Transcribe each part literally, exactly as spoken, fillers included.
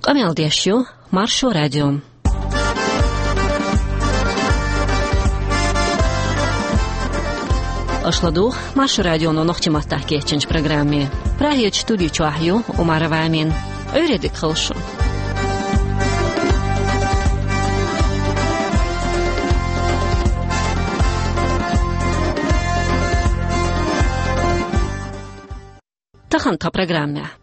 Къамел деш ю Маршо радио. Аша ладугӀу Маршо радионо нохчийн маттахь кечйинчу программе. Прагерчу студи чохь ю Умарова Амина. Ӏуьйре дика хуьлда шун. Тахана тхан программехь.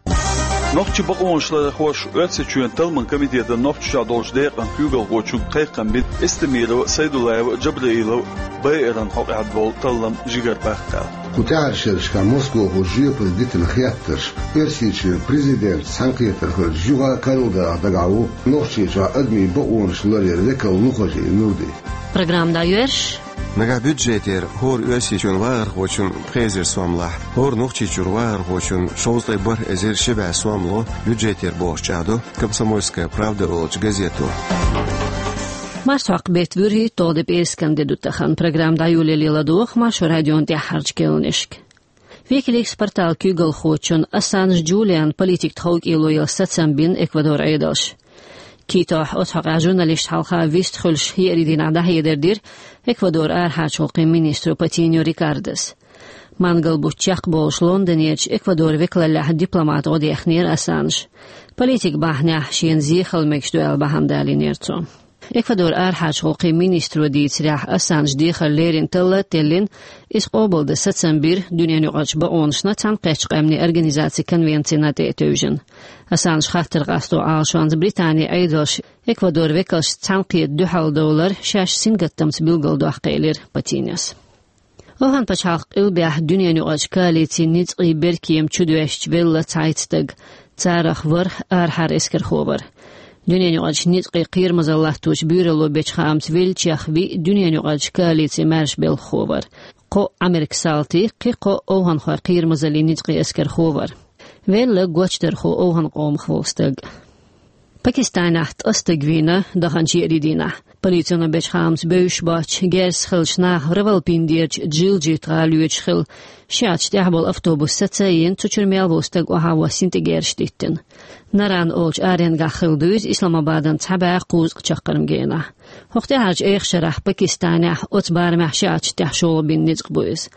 Нохчийн бакъонашларъярхоша Оьрсийчоьнан талламан комитетан Нохчийчохь долчу декъан куьйгалхочуьнга кхайкхам бина Эстемирова, Сайдулаева, Джабраилова байаран хьокъехь болу таллам жигара баккха аьлла. Кху тӀаьхьарчу шерашкахь Москвахо жоьпалла дитина хеттарш, Оьрсийчоьнан президентан цхьаьнакхетархочун юха а Канадахь дагахь ву Нохчийчохь адамийн бакъонаш ларъяран векал Нухажи Нурди. Программа дӀайоьрзуш. Нагахь бюджетера хӀора Оьрсийчоьнан вахархочун пхи эзар сом лахь, хӀора Нохчийчуьра вахархочун шовзткъе бархӀ эзар ши бӀе сом ло бюджетера бохуш чӀагӀдо «Комсомольская правда» олучу газето. Марсхьокху беттан вуьрхӀитталгӀа де пӀераскан де ду тахана. Программа дӀайолале ладогӀа Маршо радион тӀаьххьарчу керланашка. Wikileaks порталан куьйгалхочун Ассанж Джулиан политикан тховкӀело яла сацам бина Эквадоран Ӏедалша. Китохь оцу хьокъехь журналисташ хьалха вист хуьлуш еарин дийнахь дӀахьедар дира Эквадоран арахьарчу гӀуллакхийн министро Патиньо Рикардос. Мангал бутт чекхболуш Лондонерчу Эквадоран векалаллехь дипломата гӀо дехнера Ассанж. Политикан бахьанехь шена зен хила мегаш ду аьлла бахьана далийнера цо. Эквадоран арахьарчу гӀуллакхийн министро дийцарехь, Ассанжа дехар лерина талла а теллина, иза къобалдан сацам бира дуьненан юкъарчу бакъонашна цхьаьнакхеттачу къаьмнийн организацин конвенцина тӀе а тевжина. Ассанжа хаттар къасто Ӏалашонца Британин Ӏедалша Эквадоран векалшца цхьаьнакхета дуьхьал довлар шаьш сингаттамца билгалдоккху элира Патиньос. Афган пачхьалкхан къилбехь дуьненан юкъарчу коалицин ницкъийн беркема чудоьшча велла цхьайтта стаг. Царах ворхӀ арахьара эскархо вара. Дуьненан юкъарчу ницкъийн кхерамазалла латточу буьйралло бечу хаамца веллачех виъ дуьненан юкъарчу коалицин маьрша белхахо вара. Кхоъ Ӏамеркан салтий, кхин кхоъ овхӀанхойн кхерамазаллин ницкъийн эскархо вара. Велла гочдархо овхӀан къомах волу стаг. Пакистанехь ткъа стаг вийна даханчу еарин дийнахь. Полицино бечу хаамца бевзаш боцчу герзаца хиллачу наха Равалпиндерчу Джилджит гӀала йоьдуш хилла. Ши Ӏачу тӀехь болу автобус саца а йина, цу чуьра мел волу стаг охьа а воссийна, тӀе герзаш диттина. Наран олучу аренгахь хилла ду иза, Исламабадан цхьа бӀе кхузткъа чаккхарма генахь. ХӀокху тӀаьхьарчу эха шарахь Пакистанехь оцу барамехь ши Ӏачу тӀехь шолгӀа бина ницкъ бу иза.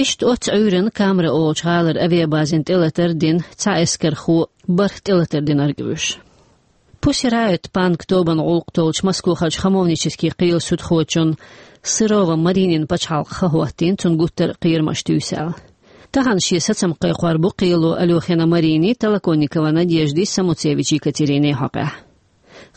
Иштта оццу Ӏуьйранна Камра олучу гӀалара авиабазина тӀелатар а дина, цхьа эскархо бархӀ тӀелатар динарг а вуьйш. Пусирайот панк тобанан гӀуллакх толлучу Москвахарчу хамовнически кхелан судхочунна Сырова Маринина пачхьалкх хан хӀоттийна, цунна гуттар а кхерамаш туьйсу аьлла. Тахана шен сацам кхайкхор бу кхело Алёхина Марини, Толоконникова Надежди, Самуцевич Екатерини хьокъехь.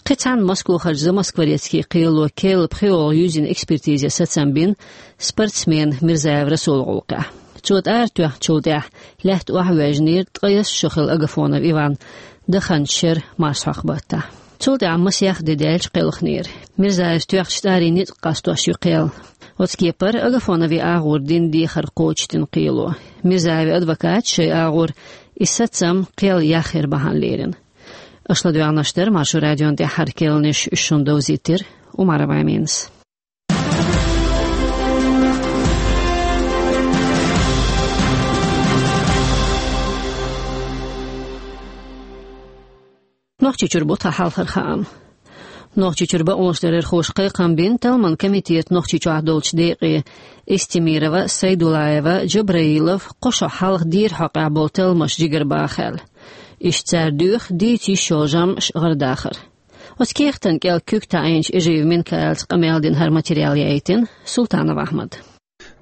Кхин цхьаьна Москвахарчу Замоскворецкий кхело керла пхиолгӀа юьззина экспертизе сацам бина спортсменан Мирзаев Расулан гӀуллакхехь. Цо тӀара тоьхначул тӀаьхьа лаьтта охьавоьжнера ткъаесна шо хилла Агафонов Иван, даханчу шеран марсхьокху баттахь. Цул тӀаьхьа масех де даьлча кхелхинера. Мирзаевс тоьхначу тӀарийн ницкъ къастош ю кхел. Оцу кепара Агафоновн агӀор дина дехар кхочушдина кхело. Мирзаевн адвокаташа шайн агӀор и сацам кхел яхъяр бахьана лерина. Аша ладоьгӀнарш дара Маршо радион тӀаьххьара керланаш, уьш шуна довзийтира Умарова Аминас. Нохчийчуьра бу тхан хьалхара хаам. Нохчийчуьра бакъонашларъярхоша кхайкхам бина талламан комитетан Нохчийчохь долчу декъе Эстемирова, Сайдулаева, Джабраилов кхо шо хьалха дийрачу хьокъехь болу талламаш жигара баха аьлла. Иштта цара доьху дийца йиш йолу жамӀаш гӀардахар. Оцу кехатан кӀел куьг таӀийначу Эжиев Минкаилца къамел дина хӀара материал яийтина Султанов Ахьмада.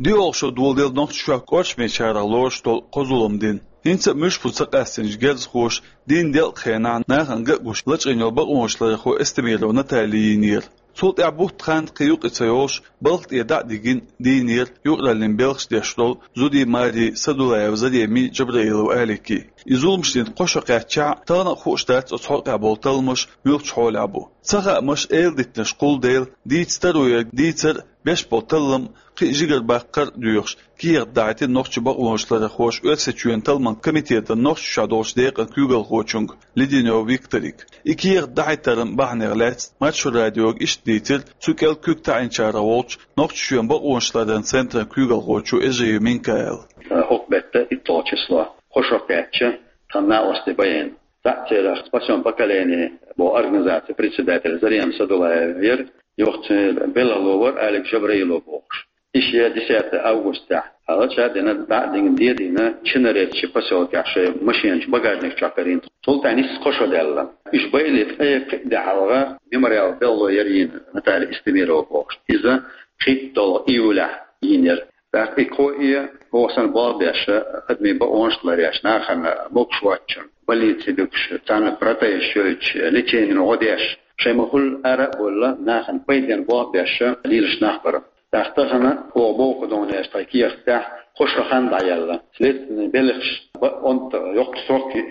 ДоьалгӀа шо доладелла Нохчийчохь кӀоршамечарах лоруш долу кхо зулам дина. ХӀинца а муьлш бу ца къаьстинчу герзахоша дийнна делкъа хенахь нахана ган а гуш лачкъийна йолу бакъонашларъярхо Эстемирова Натали йийнера. Цул тӀаьхьа бутт хан кхин юкъа ца йолуш, балха тӀе дӀа а дигина, дийнера юкъараллин белхаш деш долу зудий Мари, Садулаева Зареми, Джабраилов Алики. И зуламаш дина кхо шо кхаьччахь, тахана а хууш дац оцу хьокъехь болу талламаш муьлхачу хьолехь бу. Ца хаамаш, эладитанаш кхуллу дела, дийца таро ерг дийцар а, беш болу таллам кхин а жигара баккхар а доьхуш, кехат дахьийтина нохчийн бакъонашларъярхоша Оьрсийчоьнан талламан комитетан Нохчийчохь долчу декъан куьйгалхочуьнга Леденёв Викторига. И кехат дахьийтаран бахьанех лаьцна Маршо радиога иштта дийцира цу кӀел куьг таӀийначарах волчу Нохчийчоьнан бакъонашларъяран центран куьйгалхочо Эжиев Минкаила. ХӀокху беттан итталгӀа число, кхо шо кхаьчча, тхан накъостий байина. Цхьаъ церах «Спасём поколение» боху организацин председатель Зарема Садулаева яра, юха цуьнан белхало вара Алик Жабраилов бохуш. И шен десятое августехь хьалаца дина, дӀа а дина, де а дина, Чинарецчи посёлкехь шайн машенаш багажник чохь карийна. Цул тӀаьхьа нийсса кхо шо даьлла. Уьш байале ткъе кхоъ де хьалха мемориал белхало яра йина Наталья Истемирова бохуш. Иза кхийтталгӀа июлехь йинера. ТӀаккха и кхо а, оха санна болх беш, адамийн бакъонаш ларъеш, нахана могуш воцчунна, больнице буьгуш, царна протезаш йойтуш, леченино гӀо деш, шайн ма-хуьллу ара а бовла, нахана пайденна болх беш лелаш нах бара. ТӀаккха тахана оха боху донеш тхайн кехатехь кхо шо хан дӀаяьлла. Следственный белхаш бан онда йоккха срок ю.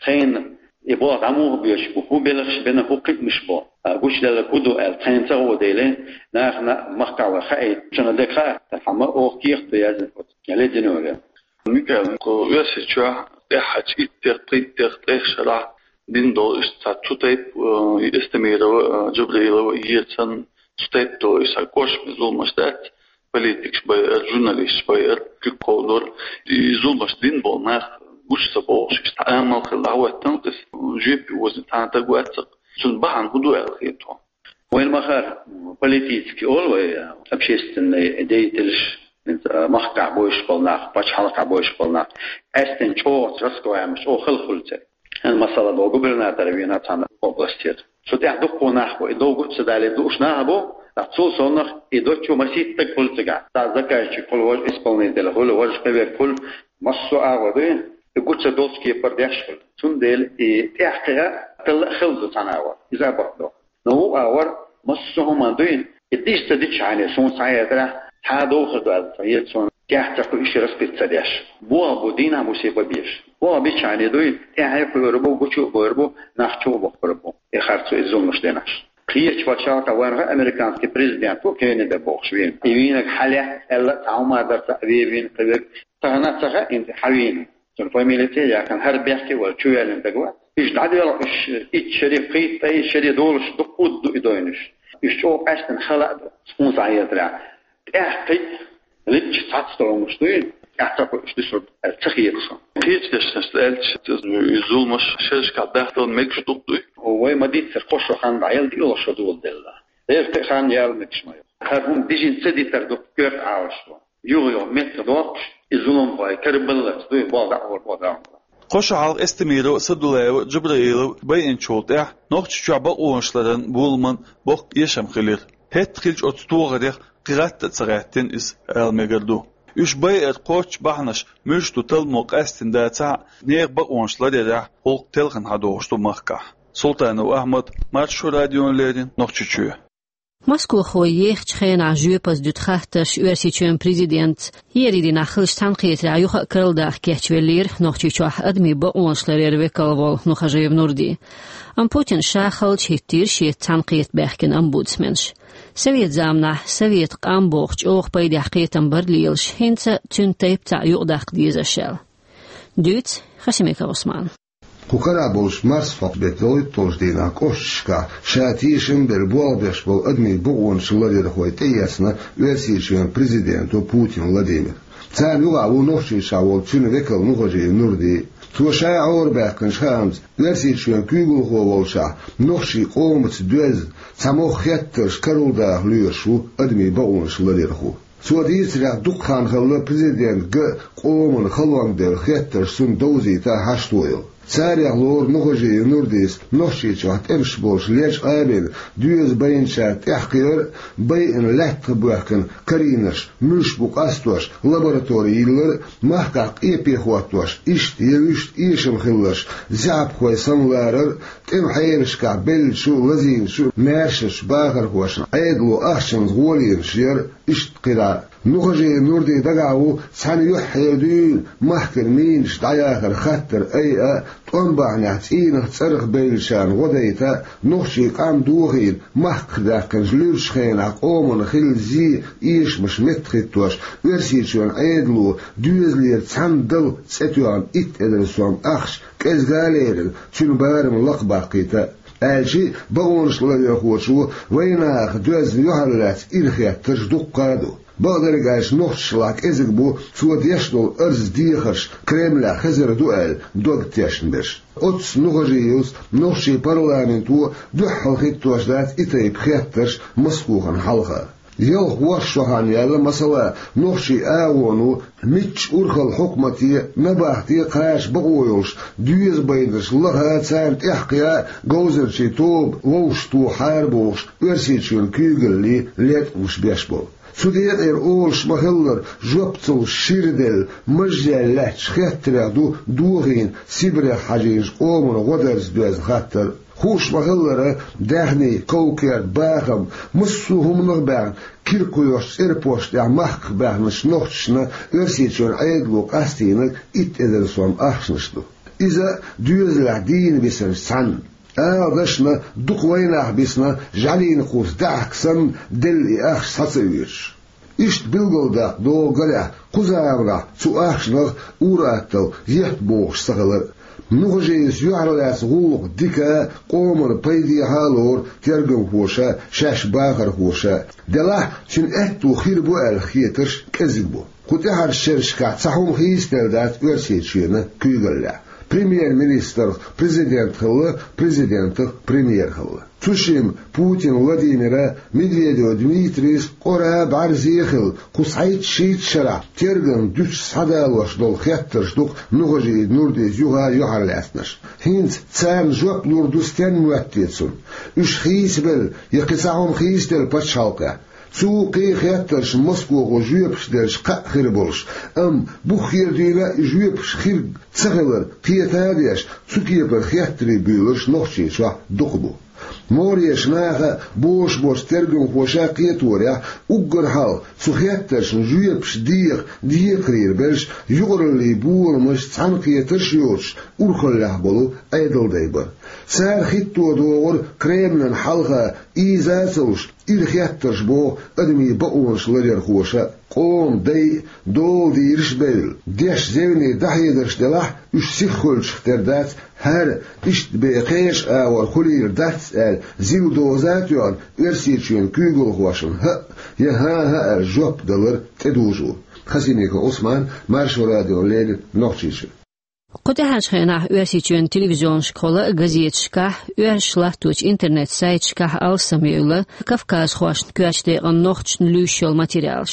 Тхайна и болх дӀа муха боьду, хӀун белхаш бина, хӀун кхиамаш бу, а, гучуделларг хӀун ду аьлла, тхайна ца гӀо деле, нахана, махкахь вай хаийта, шуна дерг хаьа, амма оха кехат ду яздина оцу леденойра. Микаил, кху Оьрсийчохь тӀаьххьарчу иттех, пхийттех, ткъех шарахь дина долу иштта цхьа цу тайпа, э, и Эстемирова, э, Джабраилова, Ерцан, цу тайпа долу иштта кошаме зуламаш дац, политикаш байар, журналисташ байар, куьг кховдор. И зуламаш дина болу нах гучу ца богӀуш, иштта амал хилла дӀахӀоьттина, иза жоьпе озийна цхьа а стаг вац-кх. Цуьнан бахьана хӀун ду аьлла хета хьуна? Вайна ма-хиллара, политический олу вай, общественный деятелаш, хӀинца махкахь бовзуш болу нах, пачхьалкхахь бовзуш болу нах, къаьсттина чӀогӀа раскрываемость, чӀогӀа хала хуьлу церан. ХӀинца масала боху, губернатор вийна цхьана областера. Цу тӀехь дуккха нах бу, и довга а ца далийта лууш нах а бу, ткъа цул совнаха и доцчу масийтта стаг хуьлу цигахь. Цхьа заказчик хуьлу, важа исполнитель хуьлу, важа кхин верг хуьлу, массо а агӀор дуй, и гучу ца долчу кепара деш хуьлу. Цундела и тӀаьхьакхиа талла а хилла ду цхьана агӀор. Иза а бакъ ду. Но вукху агӀор массо а хӀума дуй, и дижа ца дичхьана, суна схьахетарехь, цхьа а дохур ду аьлла ца хета суна, кехат ца кхуьуш, раскрыть ца деш. Болх бу дийнахь, бусий бан безаш. Болх бичхьана дуй, тӀаьхье а кхуьур бу, гучу а бовр бу, нах чу а бохкур бу. И харцо, и зуламаш динарш. Кхечу пачхьалкхехь вайна хаьа, американский президент ву Кеннеди бохуш вийна. И вийнарг хьалаьцна аьлла, цхьа хӀума дар ца а вен вийна кхин верг, тахана а ца хаьа, хӀинца хьан вийна. Цуьнан фамили тӀе а яьккхина, хӀара бехке а вара, чу ваьллина стаг вац. Уьш дӀадоьлху, уьш итт шаре, пхийтта шаре, шаре долуш дуккха а ду и дойнаш. Уьш чӀогӀа къаьсттина хала а ду, суна схьахетарехь. ТӀаьхьакхиа личча цхьацца долу хӀуманаш дуй, тӀаьхьа ца кхуьуш дуьсур ду аьлла ца хета суна. Кхечу дешнашца аьлча, и зуламаш шерашкахь дахдала мегаш дукха дуй? Вай ма-дийццара, кхо шо хан дӀаяьлла, диъалгӀа шо доладелла. Эрта а хан яла мегаш ма ю. ХӀара хӀума дижина ца дитар ду коьрта Ӏалашо. Юха-юха меттах доккхуш, и зуламхой карабаллалц дуй, болх дӀа а гӀур, болх дӀа а гӀур. Кхо шо хьалха Эстемирова, Садулаева, Джабраилов байинчул тӀаьхьа Нохчийчохь бакъонашларан боламан боккха эшам хилира. ХӀетта хиллачу оцу тохарех кхин гӀатта а ца гӀаьттина иза, ала мегар ду. Уьш байаран кхоччуш бахьанаш муьлш ду талламо къаьстина дацахь а, нехан бакъонаш ларъярехь гӀуллакх телхина хьадогӀуш ду махкахь. Султанов Ахьмад, Маршо радиона леррина, Нохчийчоь. Москвахой ехачу хенахь жоьпаза дуьту хаттарш Оьрсийчоьнан президентца, еарин дийнахь хиллачу цхьаьнакхетарехь юха а карладаккха кечвеллера Нохчийчохь адамийн бакъонаш ларъяран векал волу Нухажиев Нурди. Амма Путина ша халчахӀиттийра шеца цхьаьнакхета баьхкина омбудсменаш. Совет заманахь совет къам бохучу чӀогӀа пайдехь кхетам бара лелаш, хӀинца цуьнан тайпа цхьаъ юкъадаккха дезаш аьлла. Дуьйцу Хасимиков Усмана. Кху карахь болчу марсхьокху беттан ялхитталгӀачу дийнахь кӀошташкахь ша тешам а бина болх беш болу адамийн бакъонаш ларъярхой тӀеэцна Оьрсийчоьнан президенто Путин Владимира. Царна юкъахь ву Нохчийчохь волу цуьнан векал Нухажиев Нурди. Цо ша Ӏорабаьккхинчу хаамца, Оьрсийчоьнан куьйгалхо волушшехь, нохчийн къомаца доьзна, цхьа могӀа хеттарш карладаха лоьруш ву адамийн бакъонаш ларъярхо. Цо дийцарехь, дукха хан хилла президентан ган а, къоман халонга дерг хеттарш цунна довзийта хьашт йолу. Царех лору Нухажиев Нурдис Нохчийчохь тӀемаш болуш лечкъа а бина, доьза байначарна тӀаьхьакхиар а, байина лаьттах боьхкина карийнарш муьлш бу къастош лаборатори йиллар а, махкахь къепе хӀоттош, иштта я вуьшта эшам хилларш заьӀапхой самавалар а, тӀеман хьелашкахь беллачу, лазийначу, маьршачу бахархошна Ӏедало ахчанца гӀоле яр а, иштта кхидӀа а. Нухажиев Нурдин дагахь ву цхьана юьххьера дуьйна махкана мийнаш дӀаяхаран хаттар айа а, тӀом бахьанехь цӀийнах, цӀарах бевллачарна гӀо дайта а, нохчийн къам дохийна махках даьккхинчу луьрачу хенахь къоман хилла зе, эшамаш меттахӀиттош, Оьрсийчоьнан Ӏедало доьзалера цхьана дала цӀе тоьхна итт эзар сом ахча кӀезга а лерина, цуьнан барам лакхабаккхийта а. Аьлча а, бакъонаш ларъярхочо вайнахах доьзна юьхьарлаьцна ирахеттарш дуккха а ду. Бакъдерг аьлча, нохчашлахь кӀезиг бу цо деш долу арз дехарш Кремлехь хезар ду аьлла дог тешна берш. Оццу Нухажиевс нохчийн парламенто дуьххьал хӀиттош дац и тайпа хеттарш Москохана хьалха. Ялх ворхӀ шо хан яьлла, масала, нохчийн агӀоно мичча урхалла хьукмате, набахте кхача бакъо йолуш, доьза байнарш лаха, царна тӀекхъян говзанчийн тоба вовшахтохахьара бохуш, Оьрсийчоьнан куьйгаллий латкъамаш беш болу. Цу декъера олуш ма-хиллара, жоп ца луш шира делла, мажъяьлла лаьттачу хеттарех ду дохийна Сибрех хьажийначу къоман гӀо-дарца доьзна хаттар. Хууш ма-хиллара, даьхни, ков-керт, бахам, массо а хӀуманах а баьхна, кира кхоьхьучу цӀерпошта тӀехь махках баьхначу нохчашна Оьрсийчоьнан Ӏедало къастийнарг итт эзар сом ахчанаш ду. Иза доьзалехь дийна бисинчу цхьаьна. Ала дашна, дукха вайнах бисна, жӀаьлин кхузза даьхка санна, делла и ахча схьа ца оьцуш. Иштта билгалдаккха догӀу, гарехь, кху заманахь цу ахчанах ур-атталла етта бохуш ца хилар а. Нухажиевс юьхьарлаьцна гӀуллакх дика а, къоман пайдехьа а лору тергамхоша, шаьш бахархоша. Делахь, цуьнан аьтто хир бу аьлла хетарш кӀезиг бу. Кху тӀаьхьарчу шерашкахь цхьа хӀума хийцаделла дац Оьрсийчоьнан куьйгаллехь. Премьер-министрах президент хилла, президентах премьер хилла. Цу шимма Путин Владимира, Медведев Дмитрийс къора, бӀаьрзе хилла, кху цхьайтта-шийтта шарахь тергамна дуьтуш схьадалош долу хеттарш ду-кх Нухажиев Нурдис юха а юьхьарлаьцнарш. ХӀинца царна жоп лур ду стенна моьтту те цунна? Уьш хийцабелла я кхин цхьа хӀума хийцаделла пачхьалкхехь? Цу кхин хеттаршна Москохо жоьпаш делча кхаъ хир болуш, амма бух хер дуьйна а и жоьпаш хир ца хилар кхета а деш, цу кепара хеттарий буьйлурш Нохчийчохь дукха бу. МогӀарерчу наха а, бозуш болчу тергамхоша а кхеторехь, уггар хьалха цу хеттаршна жоьпаш деха декхарийра берш юкъараллин боламаш, цхьаьнакхетарш а йоцуш, урхаллехь болу Ӏедалдай бара. Цара хӀитто догӀура Кремлана хьалха ийза а ца луш, ира хеттарш боху адамийн бакъонаш ларъярхоша а. Къоман дай а, дола дийраш а бевлла, деш зевне дӀахьедарш делахь, уьш сиххуьлчух тера дац, хӀара иштта бен кхечу агӀор хуьлийла дац аьлла, зил доза а тоьхна, Оьрсийчоьнан куьйгалхошна хӀаъ я хӀан-хӀа аьлла жоп далар тӀедужу. Хасимиков Ӏусман, Маршо радиона леррина, Нохчийчоь. Кху тӀаьхьарчу хенахь Оьрсийчоьнан телевизионашкахула а, газеташкахь а, оьрсаша латточу интернет-сайташкахь а алсамъевлла кавказхошна коьртачу декъана нохчашна луьйш йолу материалаш.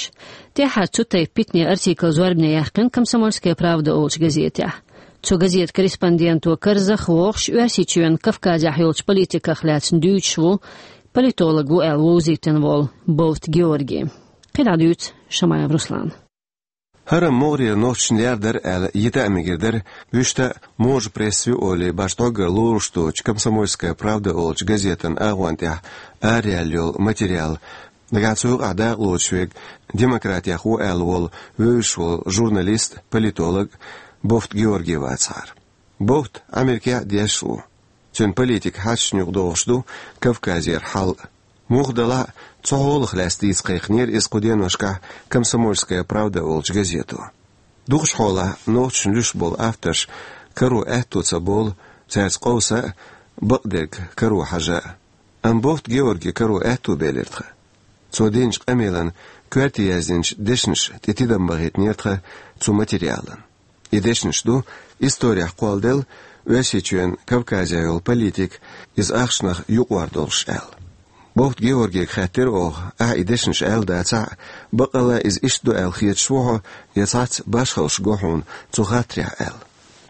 ТӀаьххьара цу тайпа питане артикл зорбане яьккхина «Комсомольская правда» олучу газетехь. Цу газетан корреспонденто карзах а вохуш, Оьрсийчоьнан Кавказехь йолчу политиках лаьцна дуьйцуш ву, политолог ву аьлла вовзийтина волу Бовт Георгий. Кхин дӀа дуьйцу Шамаев Руслана. ХӀара могӀарера нохчашна лердар аьлла йита а мегар дара, вуьшта а можа пресса ю олий башха дӀоггара лоруш доцучу «Комсомольская правда» олучу газетан агӀон тӀехь араяьлла йолу материал. Нагахь цу юкъахь дакъалоцуш верг демократех ву аьлла волу вевзаш волу журналист, политолог Бовт Георгий вацахьара. Бовт Ӏамеркехь а дешаш ву. Цуьнан политикан хьашташна юкъадогӀуш ду Кавказера хьал а. Муха делахь а, цу хьолах лаьцна дийца кхайкхинера иза кху деношкахь «Комсомольская правда» олучу газето. Дукхачу хьолахь нохчашна луьйш болу авторш каро аьтто ца болу, цаьрца къовса а, бакъдерг каро хьажа а. Амма Бовт Георгий каро аьтто белира тхан. Цо динчу къамелан коьрте яздинчу дешнаша тӀе тидам бахийтинера тхан цу материалан. И дешнаш ду исторехь кхолладелла Оьрсийчоьнан Кавказехь йолу политика, иза ахчанах юкъавар долуш аьлла. Бовт Георгига хаьттира оха, ахьа и дешнаш аьлла дацахь а, баккъалла иза иштта ду аьлла хеташ ву хьо, я цхьацца башхаллаш го хьуна цу хаттарехь аьлла.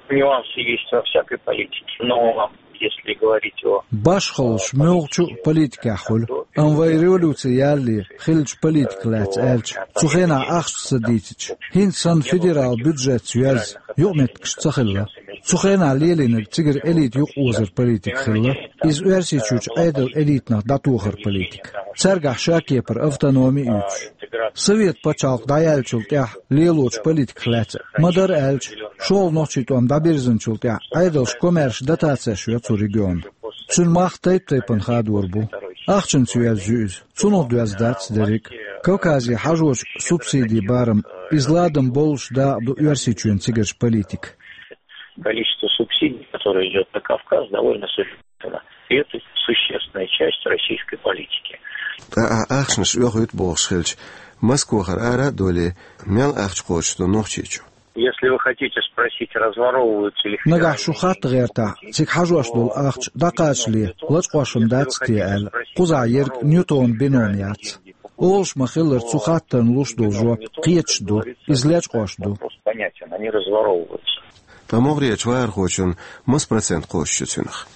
Нюансы есть во всякой политике, но если говорить о... Башхаллаш муьлххачу а политикехь хуьлу, амма вай революци ялале хиллачу политиках лаьцна аьлча, цу хенахь ахча ца дийцича, хӀинца санна федералан бюджетца йоьзна юкъаметтигаш ца хилла. Цу хенахь лелийнарг цигара элита юкъаозар политика хилла, иза Оьрсийчуьрчу Ӏедалан элитанах дӀатохар политика. Цаьргахь шакепара автономи а юьтуш. Совет пачхьалкх дӀаяьллачул тӀаьхьа лелочу политиках лаьцна ма-дарра аьлча, шолгӀа нохчийн тӀом дӀабирзинчул тӀаьхьа Ӏедалша комаьрша дотацеш йо цу регионна. Цуьнан мах тайп-тайпана хадор бу. Ахчанца йоьзна ю иза. Цунах доьзна дац дерриг а. Кавказе хьажочу субсидийн барам, иза ладам боллуш дакъа ду Оьрсийчоьнан цигарчу политикан. Количество субсидий, которое идёт на Кавказ, довольно существенно. И это существенная часть российской политики. Ткъа ахь ахчанаш оьхуьйту бохуш хилча, Москвахара ара а доале, мел ахча кхочуш ду Нохчийчу? Если вы хотите спросить, разворовываются ли... Нагахь шу хатта гӀертахь, цига хьажош долу ахча дӀакхачале лачкъош дац те аьлла, кхузахь ерг Ньютон Бенон яц. Олуш ма-хиллара, цу хаттарна луш долу жоп кхеташ ду, иза лечкъош ду. Вопрос понятен, они разворовываются. Ткъа могӀарерчу вахархочун маса процент кхочуш ю цуьнах?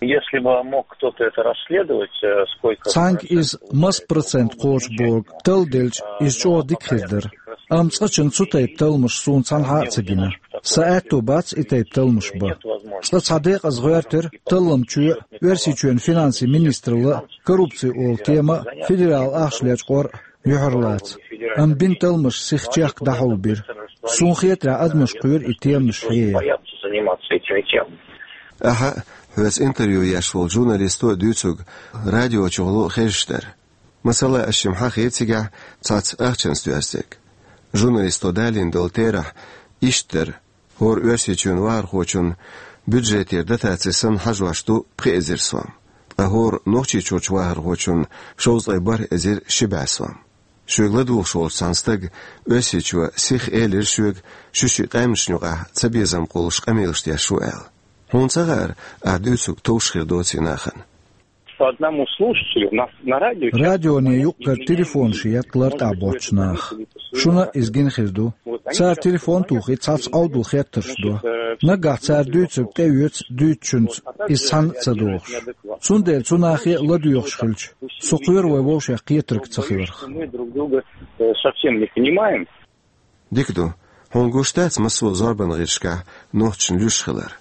Если бы мог кто-то это расследовать, э, сколько... Цхьаьнга иза маса процент кхочуш бохург талладелча, иза чӀогӀа дика хир дара. Амма цкъачунна цу тайпа талламаш суна цхьанхьа а ца гина. Сан аьтто бац и тайпа талламаш бан. Цкъа цхьа декъаза гӀоьртира талламчоь Оьрсийчоьнан финансийн министралла, коррупци олу тема а, федералан ахча лечкъор а юьхьарлаца. Амма бина талламаш сиха чехка дӀахьулбира. Суна хетарехь, адамаш кхоьру и теманаш хьеха. Боятся заниматься этими темами. Ахьа а, хьоьца интервью еш волчу журналисто а дуьйцург радиочу гӀуллакх хезаш дара. Масала, ас шимма хьахийра цигахь цхьацца ахчанца доьрзург. Журналисто далийна долу терахь иштта дара: хӀора Оьрсийчоьнан вахархочунна бюджетера дотаци санна хьажош ду пхи эзар сом, ткъа хӀора Нохчийчуьрчу вахархочунна шовзткъе бархӀ эзар ши бӀе сом. Шуьга ладугӀуш волчу цхьана стага Оьрсийчоь сиха элира шуьга, шу ши къаьмнашна юкъахь цабезам кхуллуш къамелаш деш ву аьлла. Хьуна ца хаьара, ахь дуьйцург товш хир доций нахана? По одному слушателю на, на радио... Радионе юккъера телефонаш етта лартӀехь боцчу наха. Шуна а иза гина хир ду. Цара телефон тухий, цхьацца Ӏовдал хеттарш до. Наггахь цара дуьйцург тӀеоьцу дуьйцучуьнца, иза цхьанна а ца дохуш. Цундела цу нахе а ладоьгӀуш хилча, со кхоьру вай вовшех кхетарг ца хиларх. Мы друг друга, э, совсем не понимаем. Дика ду. Хьуна гуш дац массо а зорбан гӀирсашкахь нохчашна луьйш хилар?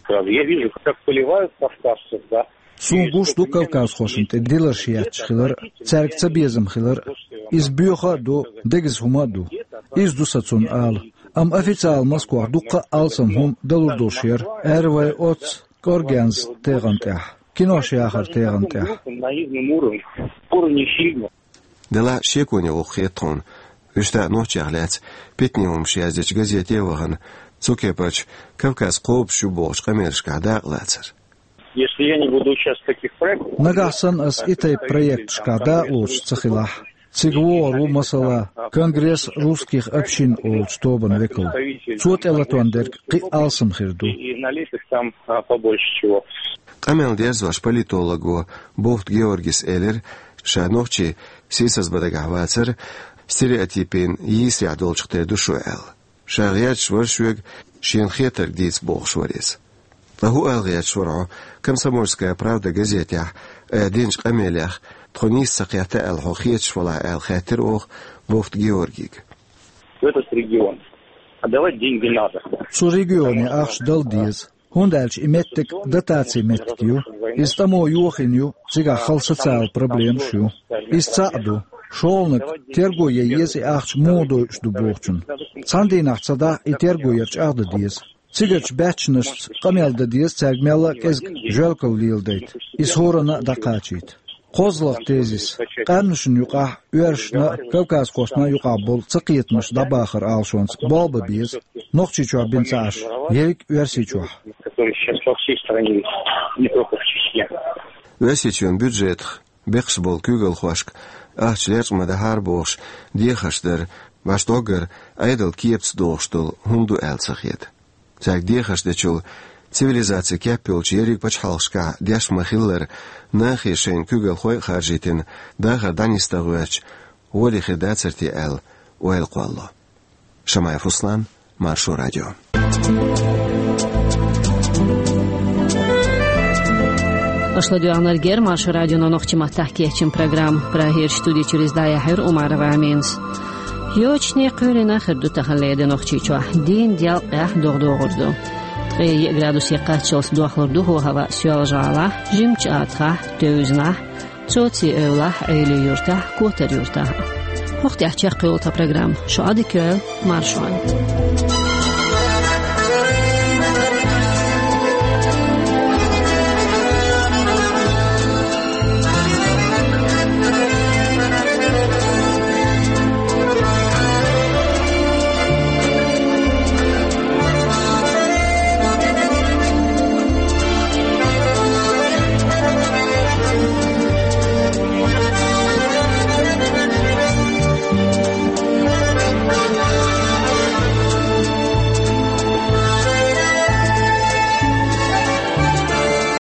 Я вижу, как поливают кавказцев, да. Суна гуш ду кавказхошна тӀе диларш етташ хилар, цаьрга цабезам хилар. Иза боьха а ду, дегаза хӀума а ду. Иза ду сан цунна ала. Амма официалан Москвахь дуккха а алсам хӀума далур долуш яра, аьрра вай оццу кӀоргенза тегӀан тӀехь, кинош яхар тегӀан тӀехь. На наивном уровне, уровне фильма. Делахь шеконе гӀуллакх хета тхуна, вуьшта а нохчех лаьцна питане хӀуманаш яздечу газете а вахана, цу кепарчу Кавказ кхобуш ю бохучу къамелашкахь дакъалацар. Если я не буду участвовать в таких проектах... Нагахь санна ас и тайпа проекташкахь дакъалоцуш ца хилахь, цига вогӀур ву, масала, Конгресс русских общин олучу тобанан векал. Цо тӀелатон дерг кхин а алсам хир ду. И налепят там, а, побольше чего. Къамел дерзош политолого Бовт Георгис элира, ша нохчи сийсазбан дагахь вацар стереотипийн йийсарехь долчух тера ду шу аьлла. Ша гӀерташ вара шуьга шена хетарг дийца бохуш вара иза. Ткъа хӀун ала гӀерташ вара хьо «Комсомольская правда» газетехь айхьа динчу къамелех, тхо нийса ца кхетта аьлла хьо хеташ валахь аьлла хаьттира оха Бовт Георгига. В этот регион отдавать деньги надо. Цу регионе ахча дала деза. ХӀунда аьлча и меттиг дотацийн меттиг ю. Иза тӀамо йохийна ю, цигахь хала социалан проблемаш ю. Иза цхьаъ ду. ШолгӀаниг, терго ян еза и ахча муха дойуш ду бохучун. Цхьана дийнахь ца дахь, и терго яр чӀагӀдан деза. Цигарчу баьччанашца къамел дан деза, цаьрга мелла а кӀезиг жоьлкалла леладайта. Иза хӀоранна а дӀакхачийта. КхозлагӀа тезис: къаьмнашна юкъахь оьрсашна а, кавказхошна а юкъахь болу цакхетамаш дӀабахар Ӏалашонца болх бан беза, Нохчийчохь бина ца Ӏаш, ерриг а Оьрсийчохь. Который сейчас по всей стране, не только в Чечне. Оьрсийчоьнан бюджетах бекхаш болу куьйгалхошка ахча лечкъа ма дахьара бохуш дехарш дар, баш доггара Ӏедалан кепаца догӀуш долу хӀума ду аьлла ца хета. Цаьрга дехарш дечул, цивилизацин кеп йолчу ерриг пачхьалкхашкахь деш ма-хиллара, нахе шайна куьйгалхой а харжийтина, дахар дӀанисдан гӀоьртича, гӀоле хир дацара те аьлла, ойла кхолло. Шамаев Руслан, Маршо радио. Аша ладоьгӀнарг яра Маршо радионо нохчийн маттахь кечйина программа. Прагерчу студи чуьра иза дӀаяьхьира Умарова Аминас. Йочане кхоьлина хир ду таханлера де Нохчийчохь. Дийнан делкъехь догӀа-догӀур ду. Ткъе йиъ градусе кхаччалц дохлур ду хӀаваъ Соьлжа-ГӀалахь, Жимачу АтагӀахь, Тевзанахь, Цоци-Эвлахь, Ӏелин-Юьртахь, Котар-Юьртахь. ХӀокху тӀехь чекхйолу тхан программа. Шу Ӏадика йойла, маршалла.